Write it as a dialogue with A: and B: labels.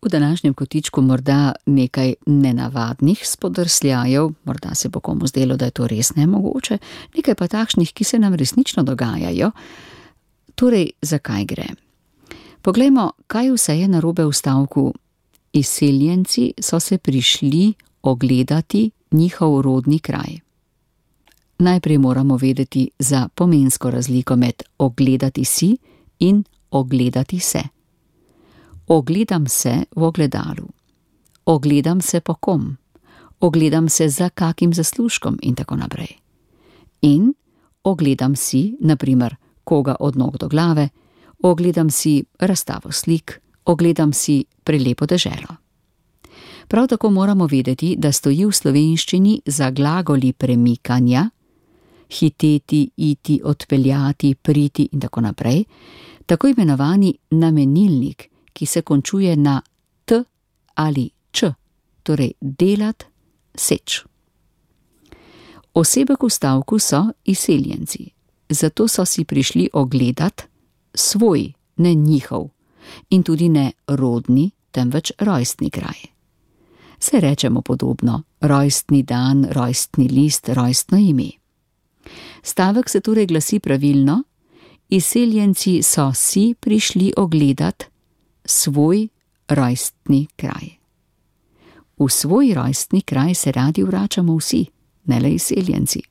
A: V današnjem kotičku morda nekaj nenavadnih spodrsljajev, morda se bo komu zdelo, da je to res nemogoče, nekaj pa takšnih, ki se nam resnično dogajajo. Torej, zakaj gre? Poglejmo, kaj vse je narobe v stavku. Izseljenci so se prišli ogledati njihov rodni kraj. Najprej moramo vedeti za pomensko razliko med ogledati si in ogledati se. Ogledam se v ogledalu. Ogledam se po kom. Ogledam se za kakim zaslužkom in tako naprej. In ogledam si, na primer, koga od nog do glave, ogledam si razstavo slik, ogledam si prelepo deželo. Prav tako moramo vedeti, da stoji v slovenščini za glagoli premikanja, hiteti, iti, odpeljati, priti in tako naprej, tako imenovani namenilnik, ki se končuje na t ali č, torej delat, seč. Osebek v stavku so izseljenci, zato so si prišli ogledat svoj, ne njihov, in tudi ne rodni, temveč rojstni kraj. Se rečemo podobno, rojstni dan, rojstni list, rojstno ime. Stavek se torej glasi pravilno: izseljenci so si prišli ogledat svoj rojstni kraj. V svoj rojstni kraj se radi vračamo vsi, ne le izseljenci.